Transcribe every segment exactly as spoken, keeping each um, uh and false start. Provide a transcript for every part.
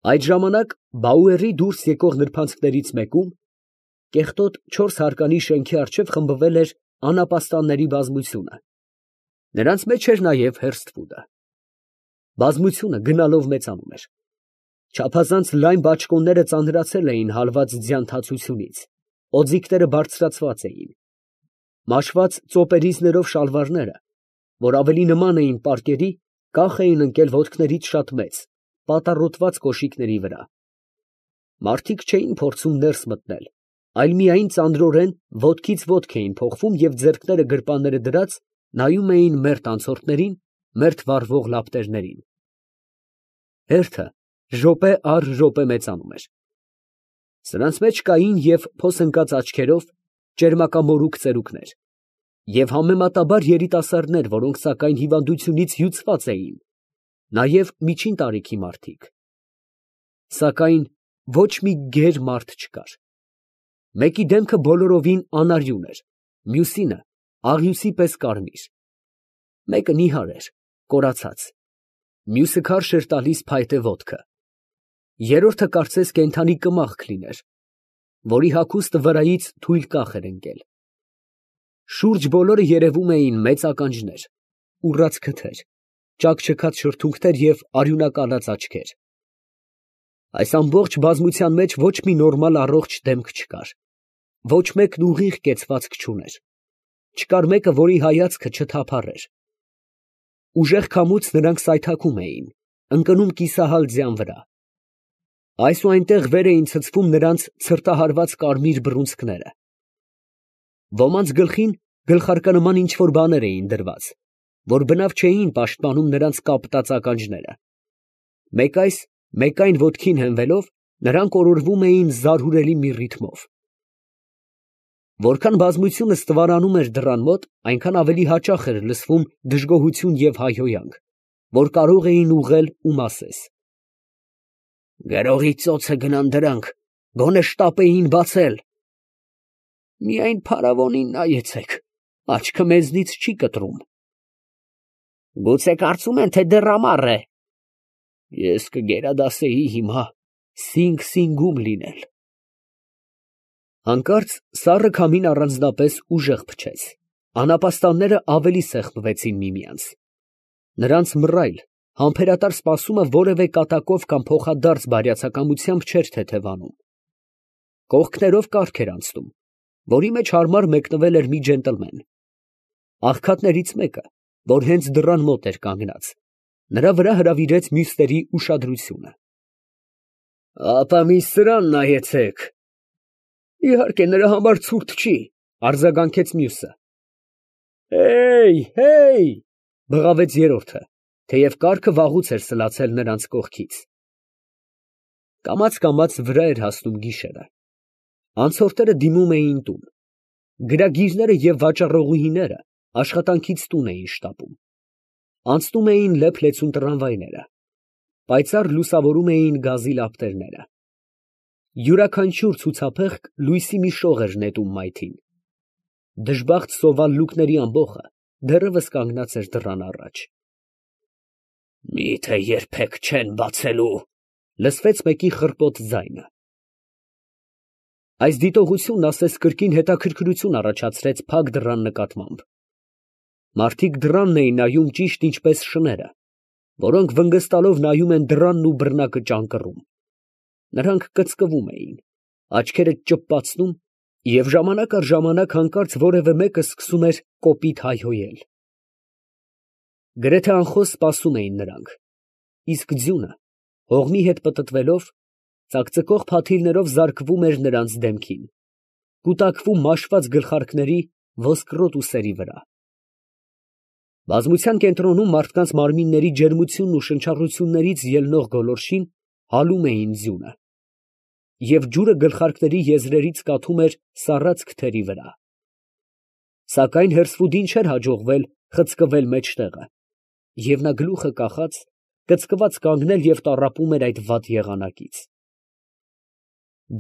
Այդ ժամանակ Բաուերի դուրս եկող նրբանցքներից մեկում, կեղտոտ չորս հարկանի շեմքի առջև խմբվել էր անապաստանների բազմությունը. նրանց մեջ էր նաև Հերսթվուդը. բազմությունը գնալով մեծանում էր. չափազանց լայն բաճկոնները ծանրացել էին հալված ձյան թացությունից, օձիքները բարձրացված էին, մաշված ծոպերիզներով շալվարները, որ ավելի նման էին պարկերի, կախ էին ընկել ոտքներից շատ մեծ, պատառոտված կոշիկների վրա. մարդիկ չէին փորձում ներս մտնել, այլ միայն ծանրորեն ոտքից ոտք էին փոխվում և ձեռքները գրպանները դրած նայում էին մերթ անցորդներին, մերթ վառվող լապտերներին. հերթը րոպե առ րոպե մեծանում էր. սրանց մեջ կային և փոս ընկած աչքերով ճերմակամորուք ծերուկներ, և համեմատաբար երիտասարդներ, որոնք սակայն հիվանդությունից հյուծված էին, նաև միջին տարիքի մարդիկ. սակայն ոչ մի գեր մարդ չկար. մեկի դեմքը բոլորովին անարյուն էր, մյուսինը աղյուսի պես կարմիր, մեկը նիհար էր, կորացած, մյուսը քարշ էր տալիս փայտե ոտքը, երրորդը կարծես կենդանի կմախք լիներ, որի հագուստը վրայից թույլ կախ էր ընկել. շուրջ բոլորը երևում էին մեծ ականջներ, ուռած քթեր, ճաքճքած շրթունքներ և արյունակալած աչքեր. այս ամբողջ բազմության մեջ ոչ մի նորմալ առողջ դեմք չկար, ոչ մեկն ուղիղ կեցվածք չուներ, չկար մեկը, որի հայացքը չթափառեր. ուժեղ քամուց նրանք սայթաքում էին, ընկնում կիսահալ ձյան վրա. այս ու այնտեղ վեր էին ցցվում նրանց ցրտահարված կարմիր բռունցքները. ոմանց գլխին գլխարկանման ինչ֊որ բաներ էին դրված, որ բնավ չէին պաշտպանում նրանց կապտած ականջները. մեկ այս, մեկ այն ոտքին հենվելով, նրանք օրորվում էին զարհուրելի մի ռիթմով. որքան բազմությունը ստվարանում էր դռան մոտ, այնքան ավելի հաճախ էր լսվում դժգոհություն և հայհոյանք, որ կարող էին ուղղել ու մասես. «Գրողի ծոցը գնան դրանք, գոնե շտապեին բացել»։ «Միայն փարավոնին նայեցեք, աչքը մեզնից չի կտրում»։ «Գուցե կարծում են, թե դեռ ամառ է»։ «Ես կգերադասեի հիմա Սինգ֊Սինգում լինել»։ Հանկարծ սառը քամին առանձնապես ուժեղ փչեց, անապաստանները ավելի սեղմվեցին միմյանց. նրանց մռայլ, համբերատար սպասումը որևէ կատակով կամ փոխադարձ բարյացակամությամբ չէր թեթևանում. կողքներով կառք էր անցնում, որի մեջ հարմար մեկնվել էր մի ջենտլմեն. աղքատներից մեկը, որ հենց դռան մոտ էր կանգնած, նրա վրա հրավիրեց մյուսների ուշադրությունը. «Ապա մի սրան նայեցեք»։ «Իհարկե, նրա համար ցուրտ չի», արձագանքեց մյուսը. «Հեյ, հեյ», բղավեց երրորդը, թեև կառքը վաղուց էր սլացել նրանց կողքից։ Կամաց֊կամաց վրա էր հասնում գիշերը. անցորդները դիմում էին տուն. գրագիրները և վաճառողուհիները աշխատանքից տուն էին շտապում. անցնում էին լեփ֊լեցուն տրամվայները. պայծառ լուսավորում էին գազի լապտերները. յուրաքանչյուր ցուցափեղկ լույսի մի շող էր նետում մայթին. դժբախտ սովալ ամբոխը դեռևս կանգնած էր դռան առաջ։ «Մի՞թե երբեք չեն բացելու», լսվեց մեկի խռպոտ ձայնը։ Այս դիտողությունն ասես կրկին հետաքրքրություն առաջացրեց փակ դռան նկատմամբ. մարդիկ դռանն էին նայում ճիշտ ինչպես շները, որոնք վնգստալով նայում են դռանն ու բռնակը ճանկռում. նրանք կծկվում էին, աչքերը ճպպացնում, և ժամանակ առ ժամանակ հանկարծ որևէ մեկը սկսում էր կոպիտ հայհոյել։ Գրեթե անխոս սպասում էին նրանք, իսկ ձյունը, հողմի հետ պտտվելով, ծակծկող փաթիլներով զարկվում էր նրանց դեմքին, կուտակվում մաշված գլխարկների ոսկրոտ ուսերի վրա։ Բազմության կենտրոնում մարդկանց մարմինների ջերմությունն ու շնչառություններից ելնող գոլորշին հալում էին ձյունը, և ջուրը գլխարկների եզրերից կաթում էր սառած քթերի վրա։ Սակայն Հերսվուդին չէր հաջողվել խցկվել մեջտեղը, և նա գլուխը կախած, կծկված կանգնել և տառապում էր այդ վատ եղանակից։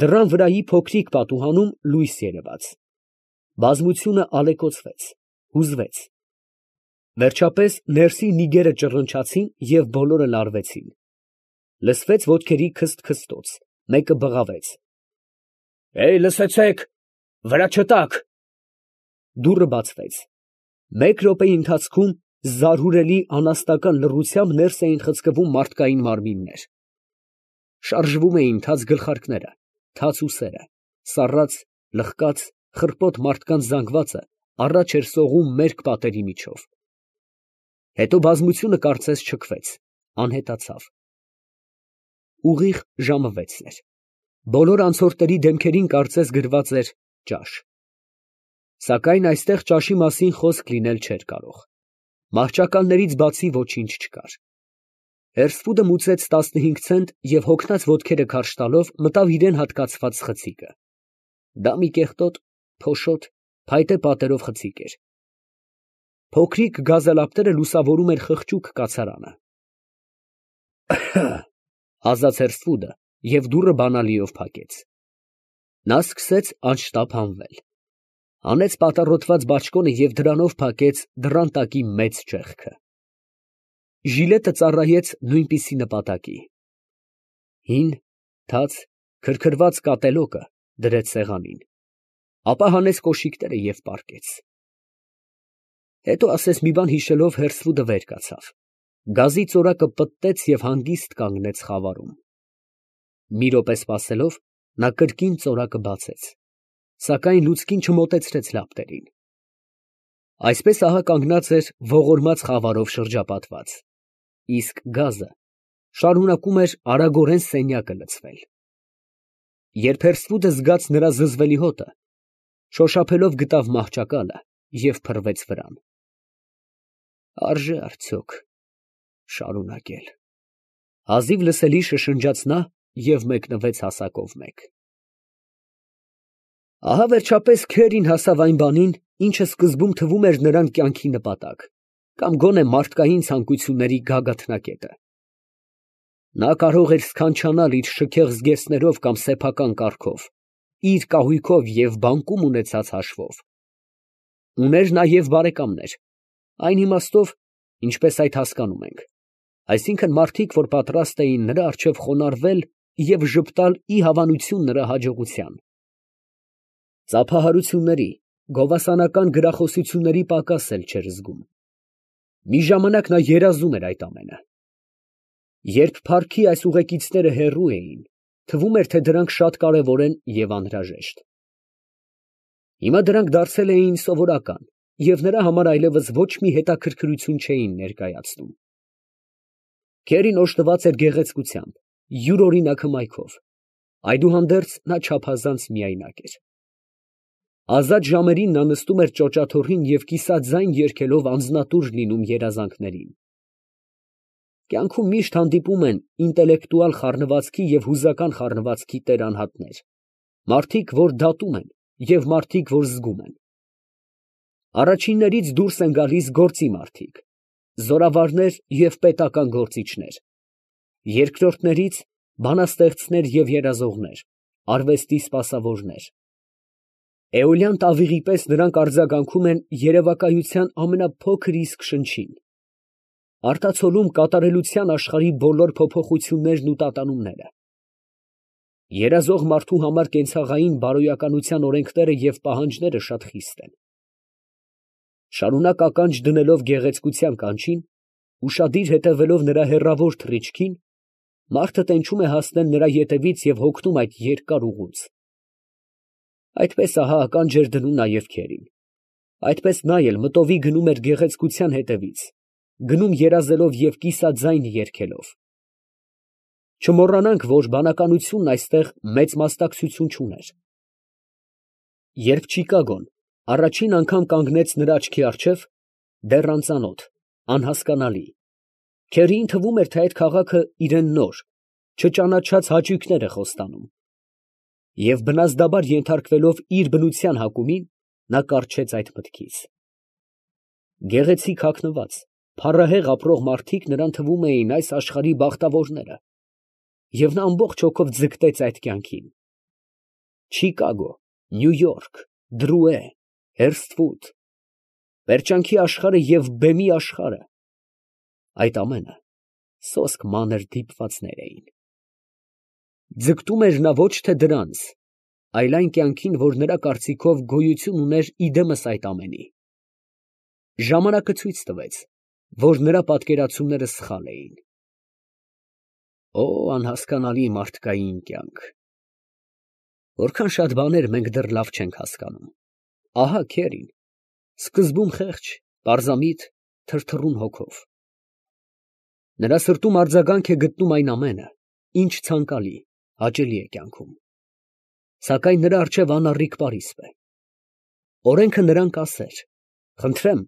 Դռան վրայի փոքրիկ պատուհանում լույս երևաց. բազմությունը ալեկոծվեց, հուզվեց. վերջապես ներսի նիգերը ճռնչացին և բոլորը լարվեցին։ Լսվեց ոտքերի քսթ֊քսթոց, մեկը բղավեց. «Հեյ, լսեցե՛ք, վրա չտաք»։ Դուռը բացվեց։ Մեկ րոպեի ընթացքում զարհուրելի անաստական լռությամբ ներս էին խցկվում մարդկային մարմիններ. շարժվում էին թաց գլխարկները, թաց ուսերը, սառած, լխկած, խռպոտ մարդկանց զանգվածը առաջ էր սողում մերկ պատերի միջով։ Հետո բազմությունը կարծես չքվեց, անհետացավ։ Ուղիղ ժամը վեցն էր։ Բոլոր անցորդների դեմքերին կարծես գրված էր ճաշ։ Սակայն այստեղ ճաշի մասին խոսք լինել չէր կարող։ Մահճակալներից բացի ոչինչ չկար։ Հերսֆուդը մուծեց տասնհինգ ցենտ և հոգնած ոտքերը քարշ տալով մտավ իրան հատկացված խցիկը։ Դա մի կեղտոտ, փոշոտ, փայտե պատերով խցիկ էր։ Փոքրիկ գազալապտերը լուսավորում էր խղճուկ կացարանը։ Ասաց Հերսֆուդը և դուռը բանալիով փակեց։ Նա սկսեց անշտապ հանվել։ Հանեց պատառոտված բաճկոնը և դրանով փակեց դռան տակի մեծ ճեղքը։ Ժիլետը ծառայեց նույնպիսի նպատակի։ Հին, թաց, քրքրված կատելոկը դրեց սեղանին, ապա հանեց կոշիկները և պառկեց։ Հետո ասես մի բան հիշելով Հերսֆուդը վեր կացավ, գազի ծորակը պտտեց և հանգիստ կանգնեց խավարում։ Մի րոպե սպասելով, նա կրկին ծորակը բացեց, սակայն լուցկին չմոտեցրեց լապտերին։ Այսպես ահա կանգնած էր ողորմած խավարով շրջապատված, իսկ գազը շարունակում էր արագորեն սենյակը լցվել։ Երբ Հերսֆուդը զգաց նրա զզվելի հոտը, շոշափելով գտավ մահճակալը և փռվեց վրան։ Արժե՞ արդյոք շարունակել։ Հազիվ լսելի շշնջաց նա և մեկնվեց հասակով մեկ։ Ահա վերջապես Քերին հասավ այն բանին, ինչը սկզբում թվում էր նրան կյանքի նպատակ, կամ գոնե մարդկային ցանկությունների գագաթնակետը։ Նա կարող էր սքանչանալ իր շքեղ զգեստներով կամ սեփական կառքով, իր կահույքով և բանկում ունեցած հաշվով։ Ուներ նաև բարեկամներ, այն իմաստով, ինչպես այդ հասկանում ենք, այսինքն մարդիկ, որ պատրաստ էին նրա առջև խոնարհվել և ժպտալ ի հավանություն նրա հաջողության։ Ծափահարությունների, գովասանական գրախոսությունների պակաս էլ չէր զգում։ Մի ժամանակ նա երազում էր այդ ամենը։ Երբ փառքի այս ուղեկիցները հեռու էին, թվում էր, թե դրանք շատ կարևոր են և անհրաժեշտ։ Հիմա դրանք դարձել էին սովորական և նրա համար այլևս ոչ մի հետաքրքրություն չէին ներկայացնում։ Քերին օժտված էր գեղեցկությամբ, յուրօրինակ հմայքով, այդուհանդերձ նա չափազանց միայնակ էր։ Ազատ ժամերին նա նստում էր ճոճաթոռին և կիսաձայն երգելով անձնատուր լինում երազանքներին։ Կյանքում միշտ հանդիպում են ինտելեկտուալ խառնվածքի և հուզական խառնվածքի տեր անհատներ, մարդիկ, որ դատում են, և մարդիկ, որ զգում են։ Առաջիններից դուրս են գալիս գործի մարդիկ, զորավարներ և պետական գործիչներ, երկրորդներից բանաստեղծներ և երազողներ, արվեստի սպասավորներ։ Էոլյան տավիղի պես նրանք արձագանքում են երևակայության ամենափոքր իսկ շնչին, արտացոլում կատարելության աշխարհի բոլոր փոփոխություններն ու տատանումները։ Երազող մարդու համար կենցաղային բարոյականության օրենքները և պահանջները շատ խիստ են։ Շարունակ ականջ դնելով գեղեցկության կանչին, ուշադիր հետևելով նրա հեռավոր թռիչքին, մարդը տենչում է հասնել նրա ետևից և հոգնում այդ երկար ուղուց։ Այդպես ահա ականջ էր դնում նաև Քերին։ Այդպես նա էլ մտովի գնում էր գեղեցկության հետևից, գնում երազելով և կիսաձայն երգելով։ Չմոռանանք, որ բանականությունն այստեղ մեծ մասնակցություն չուներ։ Երբ Չիկագոն առաջին անգամ կանգնեց նրա աչքի առջև, դեռ անծանոթ, անհասկանալի, Քերիին թվում էր, թե այդ քաղաքը իրան նոր, չճանաչած հաճույքներ է խոստանում։ Եվ բնազդաբար ենթարկվելով իր բնության հակումին, նա կառչեց այդ մտքից։ Գեղեցիկ հագնված, փառահեղ ապրող մարդիկ նրան թվում էին այս աշխարհի բախտավորները, և նա ամբողջ հոգով ձգտեց այդ կյանքին։ Չիկագո, Նյու Յորք, Դրուե, Հերսթվուդ, պերճանքի աշխարհը և բեմի աշխարհը, այդ ամենը սոսկ մանր դիպվածներ էին։ ձգտում էր նա ոչ թե դրանց, այլ այն կյանքին, որ նրա կարծիքով գոյություն ուներ իդեմս այդ ամենի։ Ժամանակը ցույց տվեց, որ նրա պատկերացումները սխալ էին։ Օ, անհասկանալի մարդկային կյանք, որքան շատ բաներ մենք դեռ լավ չենք հասկանում։ Ահա Քերին, սկզբում խեղճ, պարզամիտ, թրթռուն հոգով։ Նրա սրտում արձագանք է գտնում այն ամենը, ինչ ցանկալի, հաճելի է կյանքում։ Սակայն նրա առջև անառիկ պարիսպ է։ Օրենքը նրան կասեր. խնդրեմ,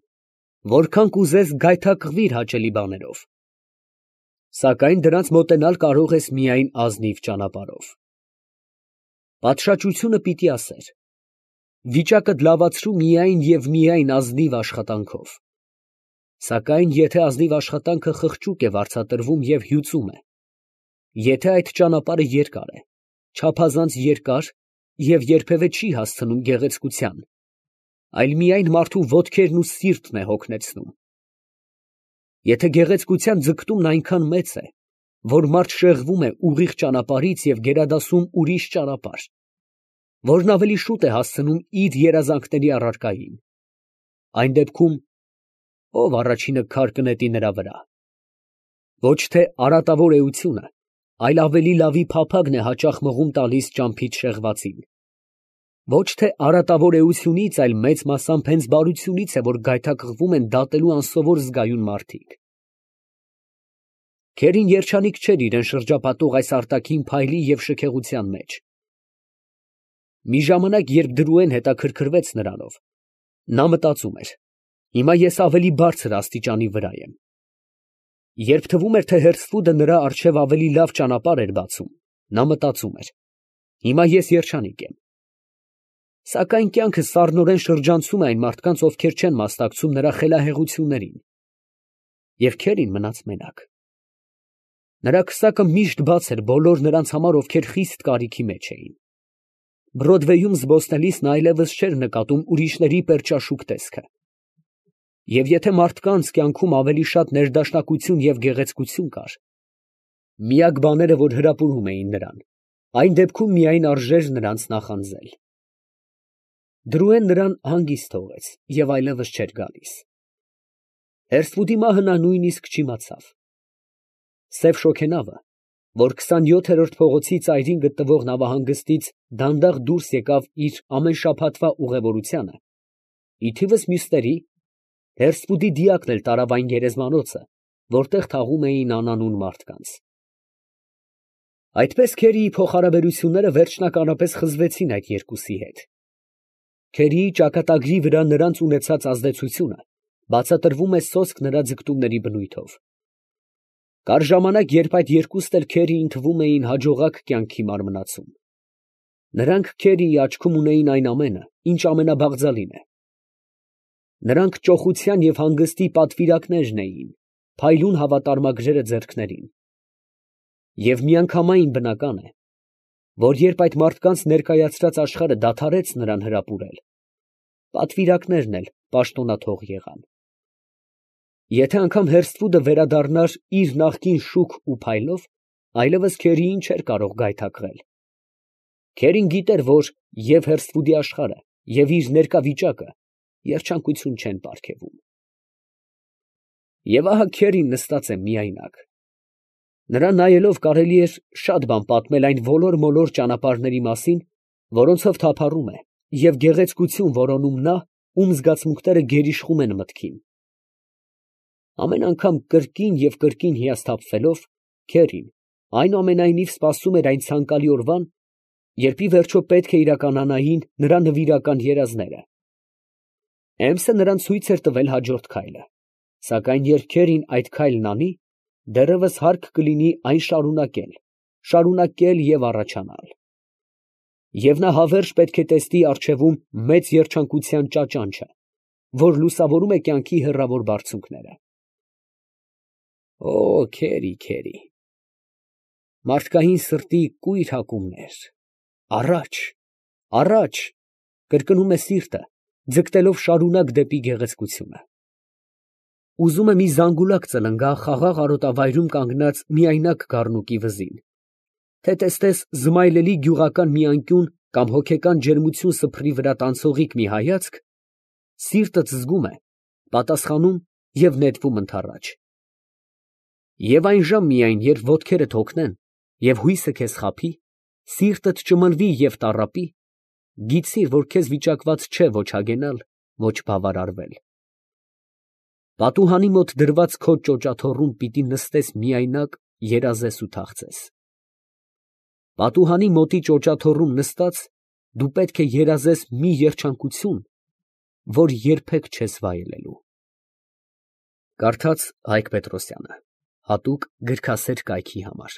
որքան կուզես գայթակղվիր հաճելի բաներով, սակայն դրանց մոտենալ կարող ես միայն ազնիվ ճանապարհով։ Պատշաճությունը պիտի ասեր. վիճակդ լավացրու միայն և միայն ազնիվ աշխատանքով, սակայն եթե ազնիվ աշխատանքը խղճուկ է վարձատրվում և հյուծում է, եթե այդ ճանապարհը երկար է, չափազանց երկար և երբևէ չի հասցնում գեղեցկության, այլ միայն մարդու ոտքերն ու սիրտն է հոգնեցնում, եթե գեղեցկության ձգտումն այնքան մեծ է, որ մարդ շեղվում է ուղիղ ճանապարհից և գերադասում ուրիշ ճանապարհ, որն ավելի շուտ է հասցնում իր երազանքների առարկային, այն դեպքում ո՞վ առաջինը քար կնետի նրա վրա։ Ոչ թե արատավոր էությունը, այլ ավելի լավի փափագն է հաճախ մղում տալիս ճամփից շեղվածին։ Ոչ թե արատավոր էությունից, այլ մեծ մասամբ հենց բարությունից է, որ գայթակղվում են դատելու անսովոր զգայուն մարդիկ։ Քերին երջանիկ չէր իրան շրջապատող այս արտաքին փայլի և շքեղության մեջ։ Մի ժամանակ, երբ Դրուեն հետաքրքրվեց նրանով, նա մտածում էր. հիմա ես ավելի բարձր աստիճանի վրա եմ։ Երբ թվում էր, թե Հերսֆուդը նրա առջև ավելի լավ ճանապարհ էր բացում, նա մտածում էր. հիմա ես երջանիկ եմ։ Սակայն կյանքը սառնորեն շրջանցում է այն մարդկանց, ովքեր չեն մասնակցում նրա խելահեղություններին։ Եվ Քերին մնաց մենակ։ Նրա քսակը միշտ բաց էր բոլոր նրանց համար, ովքեր խիստ կարիքի մեջ էին։ Բրոդվեյում զբոսնելիս նա այլևս չէր նկատում ուրիշների պերճաշուք տեսքը։ Եվ եթե մարդկանց կյանքում ավելի շատ ներդաշնակություն և գեղեցկություն կար, միակ բաները, որ հրապուրում էին նրան, այն դեպքում միայն արժեր նրանց նախանձել։ Դրուեն նրան հանգիստ թողեց և այլևս չէր գալիս։ Հերսֆուդի մահը նա նույնիսկ չիմացավ։ Սև շոգենավը, որ քսանյոթերորդ փողոցի ծայրին գտնվող նավահանգստից դանդաղ դուրս եկավ իր ամեն շաբաթվա ուղևորությանը, ի թիվս մյուսների, Հերսֆուդի դիակն էլ տարավ այն գերեզմանոցը, որտեղ թաղում էին անանուն մարդկանց։ Այդպես Քերիի փոխհարաբերությունները վերջնականապես խզվեցին այդ երկուսի հետ։ Քերիի ճակատագրի վրա նրանց ունեցած ազդեցությունը բացատրվում է սոսկ նրա ձգտումների բնույթով։ Կար ժամանակ, երբ այդ երկուսն էլ Քերիին թվում էին հաջողակ կյանքի մարմնացում։ Նրանք Քերիի աչքում ունեին այն ամենը, ինչ ամենաբաղձալին է։ Նրանք ճոխության և հանգստի պատվիրակներն էին, փայլուն հավատարմագրերը ձեռքներին։ Եվ միանգամայն բնական է, որ երբ այդ մարդկանց ներկայացրած աշխարհը դադարեց նրան հրապուրել, պատվիրակներն էլ պաշտոնաթող եղան։ Եթե անգամ Հերսֆուդը վերադառնար իր նախկին շուք ու փայլով, այլևս Քերիին չէր կարող գայթակղել։ Քերին գիտեր, որ և Հերսֆուդի աշխարհը, և իր ներկա վիճակը երջանկություն չեն պարգևում։ Եվ ահա Քերին նստած է միայնակ։ Նրան նայելով կարելի էր շատ բան պատմել այն ոլոր֊մոլոր ճանապարհների մասին, որոնցով թափառում է, և գեղեցկություն որոնում նա, ում զգացմունքները գերիշխում են մտքին։ Ամեն անգամ կրկին և կրկին հիասթափվելով, Քերին այնուամենայնիվ սպասում էր այն ցանկալի օրվան, երբ ի վերջո պետք է իրականանային նրա նվիրական երազները։ Էմսը նրան ցույց էր տվել հաջորդ քայլը, սակայն երբ Քերին այդ քայլն անի, դեռևս հարկ կլինի այն շարունակել, շարունակել և առաջանալ։ Եվ նա հավերժ պետք է տեսնի առջևում մեծ երջանկության ճաճանչը, որ լուսավորում է կյանքի հեռավոր բարձունքները։ Օ, Քերի, Քերի, մարդկային սրտի կույր հակումներ, առաջ, առաջ, կրկնում է սիրտը, ձգտելով շարունակ դեպի գեղեցկությունը։ Ուզում է մի զանգուլակ ծլնգա խաղաղ արոտավայրում կանգնած միայնակ գառնուկի վզին, թե տեսնես զմայլելի գյուղական մի անկյուն կամ հոգեկան ջերմություն սփռի վրա տանցողիկ մի հայացք, սիրտդ զգում է, պատասխանում և նետվում ընդառաջ։ Եվ այն ժամ միայն, երբ ոտքերդ հոգնեն և հույսը քեզ խաբի, սիրտդ ճմնվի և տառապի, գիտիր, որ քեզ վիճակված չէ ոչ հագենալ, ոչ բավարարվել։ Պատուհանի մոտ դրված քո ճոճաթոռում պիտի նստես միայնակ, երազես ու թախծես։ Պատուհանի մոտի ճոճաթոռում նստած, դու պետք է երազես մի երջանկություն, որ երբեք չես վայելելու։ Կարդաց Հայկ Պետրոսյանը, հատուկ գրքասեր կայքի համար։